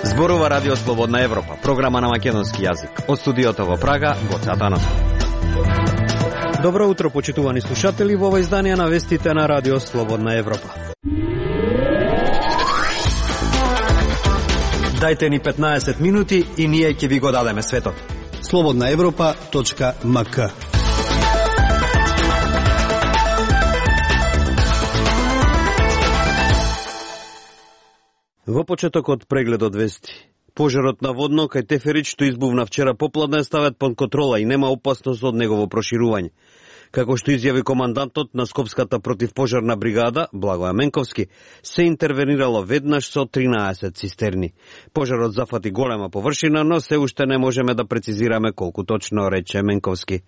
Зборува Радио Слободна Европа, програма на македонски јазик. Од студиото во Прага, Гоце Атанасов. Добро утро, почитувани слушатели, во ова издание на вестите на Радио Слободна Европа. Дајте ни 15 минути и ние ќе ви го дадеме светот. slobodnaevropa.mk. Во почетокот прегледот вести. Пожарот на Водно кај Теферич што избувна вчера попладне е ставет под контрола и нема опасност од негово проширување. Како што изјави командантот на Скопската противпожарна бригада, Благоја Менковски, се интервенирало веднаш со 13 цистерни. Пожарот зафати голема површина, но се уште не можеме да прецизираме колку точно, рече Менковски.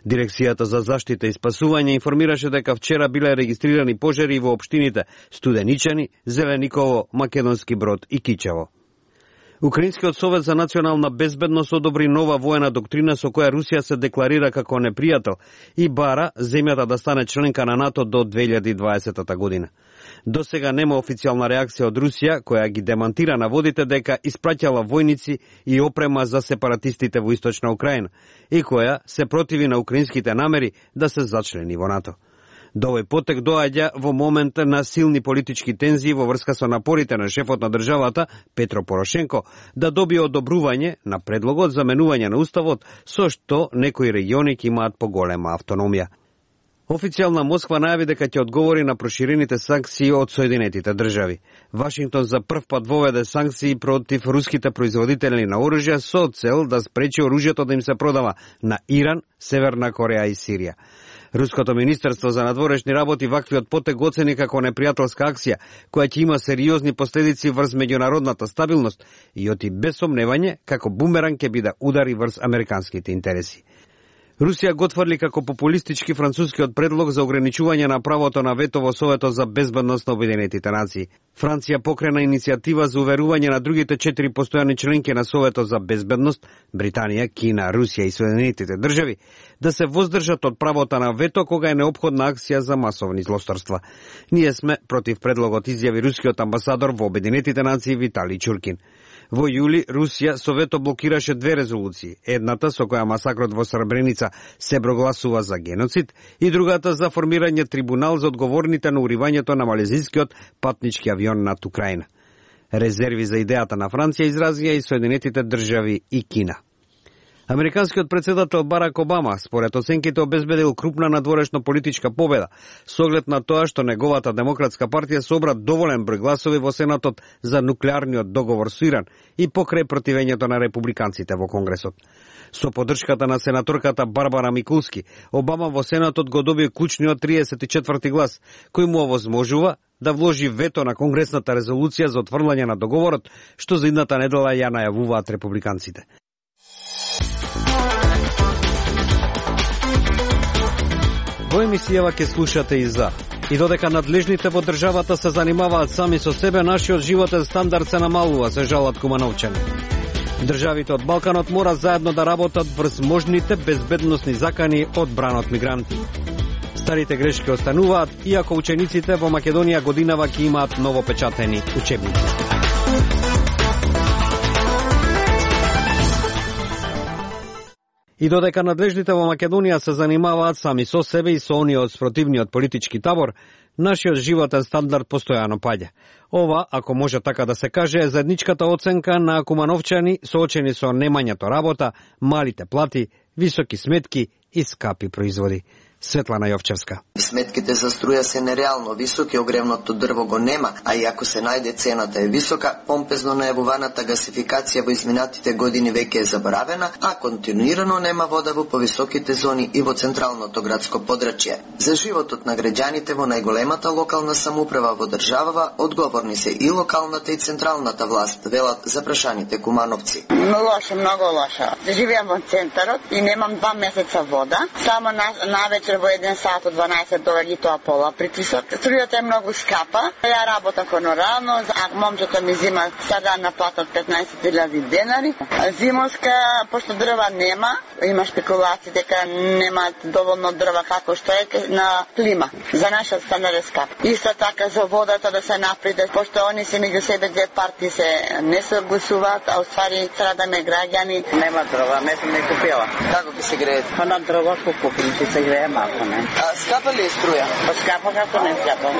Дирекцијата за заштита и спасување информираше дека вчера биле регистрирани пожари во општините Студеничани, Зелениково, Македонски Брод и Кичево. Украинскиот совет за национална безбедност одобри нова воена доктрина со која Русија се декларира како непријател и бара земјата да стане членка на НАТО до 2020 година. До сега нема официјална реакција од Русија, која ги демантира наводите дека испраќала војници и опрема за сепаратистите во Источна Украина и која се противи на украинските намери да се зачлени во НАТО. До овој потек доаѓа во момент на силни политички тензии во врска со напорите на шефот на државата, Петро Порошенко, да добие одобрување на предлогот за менување на уставот, со што некои региони ќе имаат поголема автономија. Официјална Москва најави дека ќе одговори на проширените санкции од Соединетите држави. Вашингтон за прв пат воведе санкции против руските производители на оружје со цел да спречи оружјето да им се продава на Иран, Северна Кореја и Сирија. Руското министерство за надворешни работи ваквиот потек оцени како непријателска акција, која ќе има сериозни последици врз меѓународната стабилност и оти без сомневање како бумеранг ќе биде удари врз американските интереси. Русија го отфрли како популистички францускиот предлог за ограничување на правото на вето во Советот за безбедност на Обединетите нации. Франција покрена иницијатива за уверување на другите 4 постојани членки на Советот за безбедност, Британија, Кина, Русија и Соединетите држави, да се воздржат од правото на вето кога е неопходна акција за масовни злосторства. Ние сме против предлогот, изјави рускиот амбасадор во Обединетите нации Виталий Чуркин. Во јули Русија со вето блокираше 2 резолуции, едната со која масакрот во Сребреница се прогласува за геноцид и другата за формирање трибунал за одговорните на уривањето на малезискиот патнички авион над Украина. Резерви за идејата на Франција изразија и Соединетите држави и Кина. Американскиот председател Барак Обама, според оценките, обезбедил крупна надворешно политичка победа, со оглед на тоа што неговата демократска партија собра доволен број гласови во Сенатот за нуклеарниот договор со Иран и покрај противењето на републиканците во Конгресот. Со поддршката на сенаторката Барбара Микулски, Обама во Сенатот го доби клучниот 34-ти глас, кој му овозможува да вложи вето на конгресната резолуција за отфрлање на договорот, што за идната недела ја најавуваат републиканците. Во емисијава ќе слушате и за. И додека надлежните во државата се занимаваат сами со себе, нашиот животен стандард се намалува, се жалат кумановчани. Државите од Балканот мора заедно да работат врз можните безбедносни закани од бранот мигранти. Старите грешки остануваат, иако учениците во Македонија годинава ќе имаат новопечатени учебници. И додека надлежните во Македонија се занимаваат сами со себе и со оние од спротивниот политички табор, нашиот животен стандард постојано паѓа. Ова, ако може така да се каже, е заедничката оценка на кумановчани соочени со немањето работа, малите плати, високи сметки и скапи производи. Светлана Јовчевска. Сметките за струја се нереално високи, огревното дрво го нема, а и ако се најде цената е висока, помпезно најавуваната гасификација во изминатите години веќе е заборавена, а континуирано нема вода во повисоките зони и во централното градско подрачје. За животот на граѓаните во најголемата локална самоуправа во државава одговорни се и локалната и централната власт, велат запрашаните кумановци. Многу лошо. Живеам во центарот и немам 2 месеца вода, само навечер во 1 сат од 12 се доаѓа тоа пола притисок. Струјата е многу скапа. Ја работам хонорарно, а момчето ми зима сега на плата од 15.000 денари. Зимовска, пошто дрва нема, има спекулации дека немаат доволно дрва како што е на клима. За наша стандар е скап. Исто така за водата да се напреде, пошто они се меѓу себе две партии се не согласуваат, а уствари страдаме граѓани. Нема дрва, не сум не купила. Како ќе се греете? Па на дрва купим, ќе се грее малку, не. А скапа ли е струја? Па скапа како не скапа.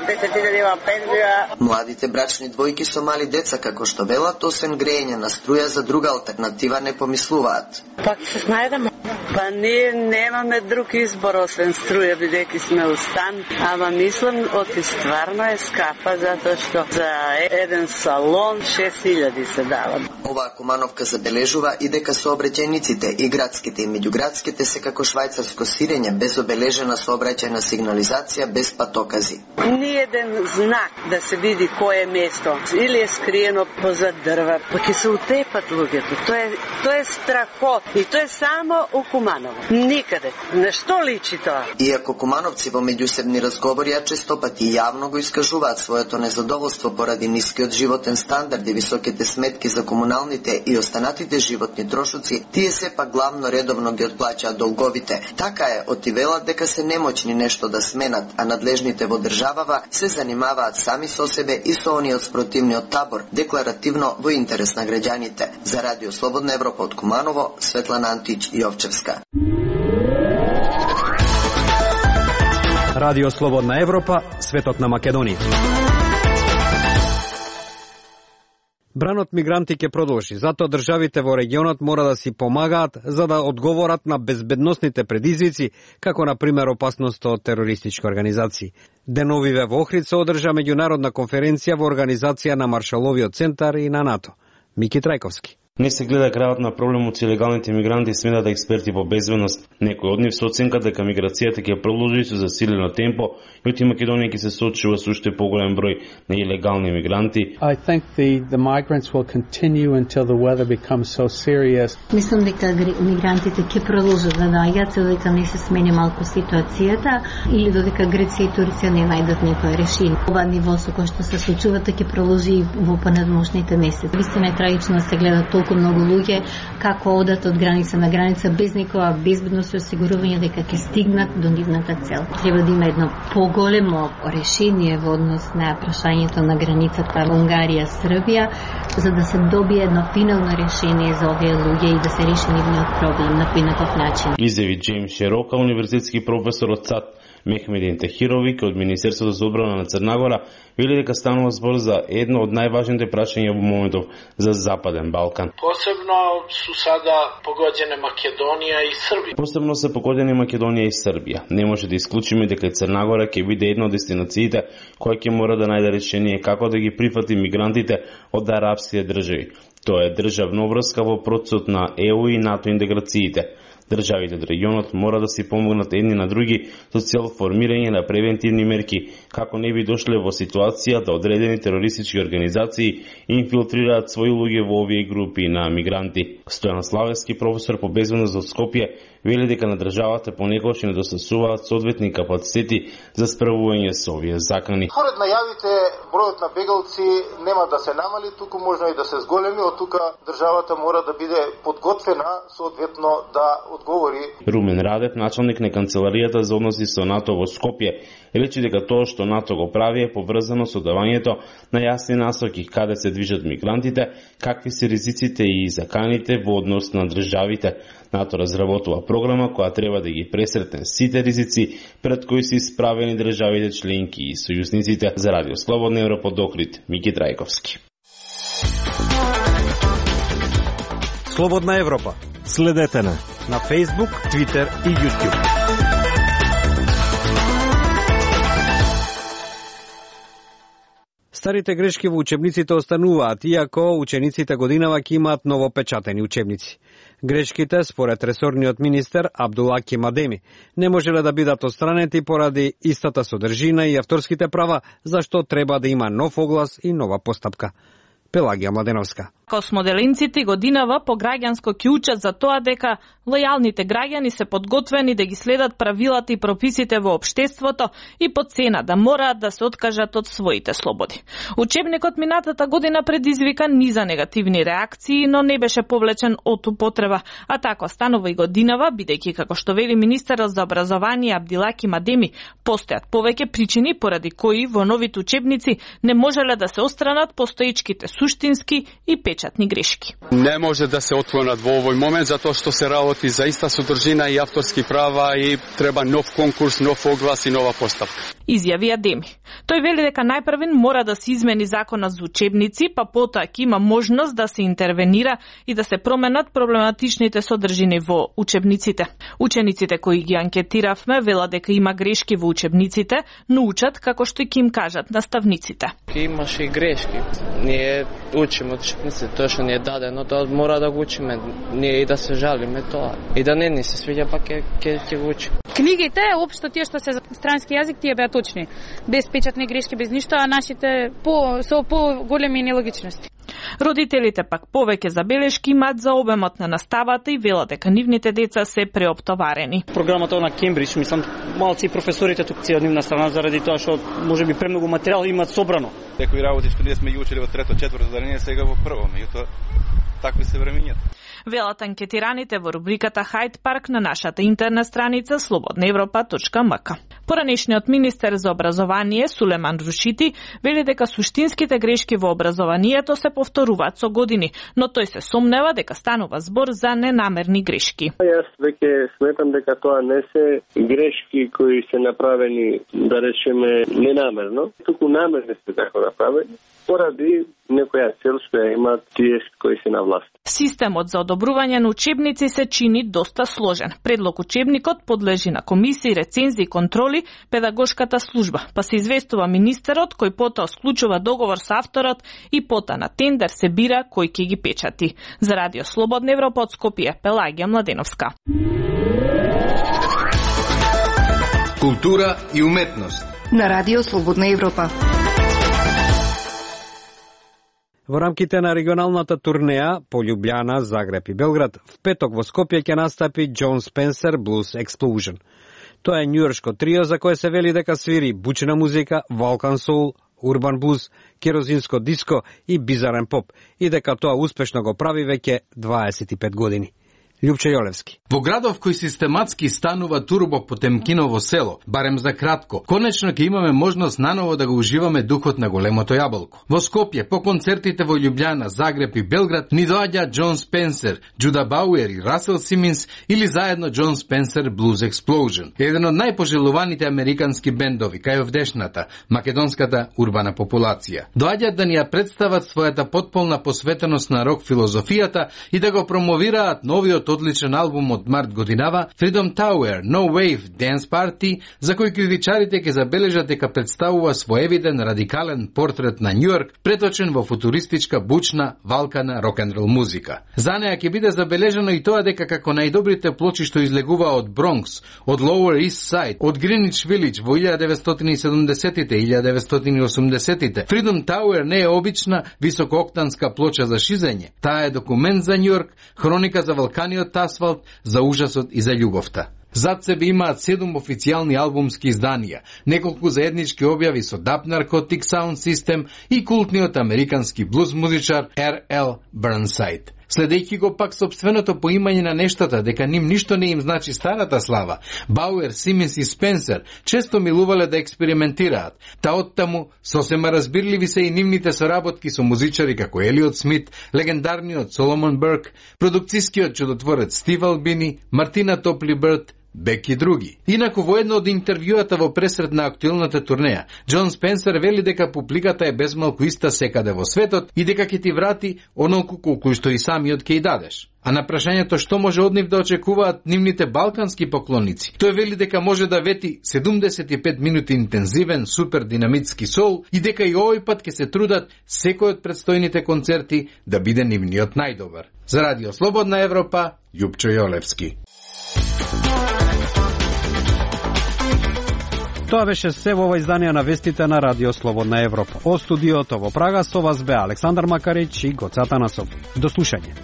10.000 има пензија. Младите брачни двојки со мали деца, како што велат, освен греење на струја, за друга алтернатива не помислуваат. Пак се снајдеме. Па ние немаме друг избор освен струја, бидејќи сме у стан, ама мислам оти стварно е скапа, затоа што за еден салон 6.000 се дава. Оваа Кумановка забележува и дека сообраќајниците и градските и меѓуградските се како швајцарско сирење, без обележена сообраќајна сигнализација, без патокази. Ниеден знак да се види кој е место, или е скриено позад дрва, па ќе се утепат луѓето. Тоа е страхот и тоа е само у Куманово. Никаде. На што личи тоа? Иако кумановци во меѓусебни разговори често пати јавно го искажуваат своето незадоволство поради нискиот животен стандард и високите сметки за комуналните и останатите животни трошоци, тие сепак главно редовно ги отплаќаат долговите. Така е, отивелат дека се немоćни нешто да сменат, а надлежните во државава се занимаваат сами со себе и со оние од спротивниот табор, декларативно во интерес на граѓаните. За Радио Слободна Европа од Куманово, Светлана Антич Јовчевска. Радио Слободна Европа, светот на Македонија. Бранот мигранти ќе продолжи, затоа државите во регионот мора да си помагаат за да одговорат на безбедносните предизвици, како на пример опасноста од терористички организации. Деновиве во Охрид се одржа меѓународна конференција во организација на Маршаловиот центар и на НАТО. Мики Трајковски. Не се гледа крајот на проблемот со илегалните мигранти, сметат експерти во безбедност. Некој од нив со оценка дека миграцијата ќе продолжи со засилено темпо и оти Македонија ќе се соочува со уште поголем број на илегални мигранти. I think the migrants will continue until the weather becomes so serious. Мислам дека мигрантите ќе продолжат да доаѓаат додека не се смени малку ситуацијата или додека Грција и Турција не најдат некој решение. Ова ниво со кој што се случува ќе продолжи во понадмошните месеци. Вистина е трагично да се гледа толку многу луѓе како одат од граница на граница без никаква безбедност и осигурување дека ќе стигнат до нивната цел. Треба да има едно поголемо решение во однос на прашањето на границата Унгарија-Србија, за да се добие едно финално решение за овие луѓе и да се реши нивниот проблем на поинаков начин. Изјави Джеймс Широка, универзитетски професор од САД, Мехмедин Тахировик од Министерството за одбрана на Црна Гора, вели дека станува збор за едно од најважните прашања во моментов за Западен Балкан. Посебно се погодени Македонија и Србија. Не може да исклучиме дека Црна Гора ќе биде една од дестинациите која ќе мора да најде решение како да ги прифати мигрантите од арапските држави. Тоа е државна врска во процесот на ЕУ и НАТО интеграциите. Државите од регионот мора да си помогнат едни на други со цел формирање на превентивни мерки, како не би дошле во ситуација да одредени терористички организации инфилтрираат своји луѓе во овие групи на мигранти. Стојан Славевски, професор по безбедност од Скопје, вели дека на државата понекогаш недостасуваат соодветни капацитети за справување со овие закани. Според најавите, бројот на бегалци нема да се намали, туку можно и да се зголеми, од тука државата мора да биде подготвена соодветно да одговори. Румен Радев, началник на канцеларијата за односи со НАТО во Скопје, рече дека тоа што НАТО го прави е поврзано со давањето на јасни насоки каде се движат мигрантите, какви се ризиците и заканите во однос на државите. НАТО разработува програма која треба да ги пресретне сите ризици пред кои се исправени државите членки и сојузниците. За Радио Слободна Европа од Охрид, Мики Трајковски. Слободна Европа. Следете на Facebook, Twitter и YouTube. Старите грешки во учебниците остануваат, иако учениците годинава ќе имаат новопечатени учебници. Грешките, според ресорниот министер Абдула Кемадеми, не можеле да бидат отстранети поради истата содржина и авторските права, зашто треба да има нов оглас и нова постапка. Пелагија Младеновска. Космоделинците годинава по граѓанско ќе учат за тоа дека лојалните граѓани се подготвени да ги следат правилата и прописите во општеството и по цена да мораат да се откажат од своите слободи. Учебникот минатата година предизвика низа негативни реакции, но не беше повлечен од употреба, а така станува и годинава, бидејќи како што вели министерот за образование Абдилаки Мадеми, постојат повеќе причини поради кои во новите учебници не можеле да се отстранат постоечките суштински и печатни грешки. Не може да се отклонат во овој момент затоа што се работи за иста содржина и авторски права и треба нов конкурс, нов оглас и нова поставка. Изјави Адеми. Тој вели дека најпрвен мора да се измени законот за учебници, па потоа ќе има можност да се интервенира и да се променат проблематичните содржини во учебниците. Учениците кои ги анкетиравме велат дека има грешки во учебниците, но учат како што ќе им кажат наставниците. Имаше и грешки. Ние учиме од учебниците, тоа што ни е дадено, тоа мора да го учиме. Ние и да се жалиме тоа. И да не ни се свиѓа, па ќе го учиме. Книгите, општо тие што се за странски јазик, тие беа точни. Без печатни грешки, без ништо, а нашите со големи нелогичности. Родителите пак повеќе забелешки имаат за обемот на наставата и велат дека нивните деца се преоптоварени. Програмата на Кембридж, мислам, малци и професорите тук се од нивна страна заради тоа што можеби премногу материјал имаат собрано. Некои работи што ние сме ги учели во трето, четврто задање, сега во прво, меѓутоа такви се времењата. Велат анкетираните во рубриката Хайд Парк на нашата интернет страница slobodnaevropa.mk. Поранешниот министер за образование Сулеман Рушити вели дека суштинските грешки во образованието се повторуваат со години, но тој се сомнева дека станува збор за ненамерни грешки. Јас веќе сметам дека тоа не се грешки кои се направени, да речеме, ненамерно, туку намерно се така направени, поради некоја цел што ја имаат тие кои се на власт. Системот за одобрување на учебници се чини доста сложен. Предлог учебникот подлежи на комисии, рецензии и контроли педагошката служба, па се известува министерот кој потоа склучува договор со авторот и потоа на тендер се бира кој ќе ги печати. За Радио Слободна Европа од Скопје, Пелагија Младеновска. Култура и уметност на Радио Слободна Европа. Во рамките на регионалната турнеја по Љубљана, Загреб и Белград, в петок во Скопје ќе настапи Jon Spencer Blues Explosion. Тоа е њујоршко трио за кое се вели дека свири бучна музика, Балкан соул, урбан блуз, керозинско диско и бизарен поп, и дека тоа успешно го прави веќе 25 години. Љупче Јолевски. Во градов кој систематски станува турбо Потемкиново село, барем за кратко, конечно ќе имаме можност наново да го уживаме духот на големото јаболко. Во Скопје, по концертите во Љубљана, Загреб и Белград, ни доаѓа Jon Spencer, Джуда Бауер и Расел Симинс или заедно Jon Spencer Blues Explosion, еден од најпожелуваните американски бендови кај овдешната, македонската урбана популација. Доаѓаат да ни ја представат својата потполна посветеност на рок филозофијата и да го промовираат новиот одличен албум од март годинава Freedom Tower No Wave Dance Party, за кој критичарите ќе забележат дека представува своевиден радикален портрет на Њујорк, преточен во футуристичка, бучна, валкана рок-н-рол музика. За неја ќе биде забележано и тоа дека како најдобрите плочи што излегува од Бронкс, од Lower East Side, од Greenwich Village во 1970-тите и 1980-тите, Freedom Tower не е обична високооктанска плоча за шизење. Таа е документ за Њујорк, хроника за валканиот асфалт, за ужасот и за љубовта. Зад себе имаат 7 официјални албумски изданија, неколку заеднички објави со Dub Narcotic Sound System и култниот американски блуз музичар R.L. Burnside. Следејќи го пак собственото поимање на нештата, дека ним ништо не им значи старата слава, Бауер, Симинс и Спенсер често милувале да експериментираат. Та оттаму сосема разбирливи се и нивните соработки со музичари како Елиот Смит, легендарниот Соломон Берк, продукцискиот чудотворец Стив Албини, Мартина Топли Бърт, Бек и други. Инаку во едно од интервјуата во пресред на актуелната турнеја, Jon Spencer вели дека публиката е безмалку иста секаде во светот и дека ќе ти врати онолку колку што и самиот ќе и дадеш. А на прашањето што може од нив да очекуваат нивните балкански поклоници, тој вели дека може да вети 75 минути интензивен, супер динамитски сол и дека и овој пат ќе се трудат секој од предстојните концерти да биде нивниот најдобар. За Радио Слободна Европа, Љупчо Јолевски. Тоа беше се во ова издание на вестите на Радио Слободна Европа. Од студиото во Прага со вас бе Александар Макарич и Гоце Атанасов. До слушање.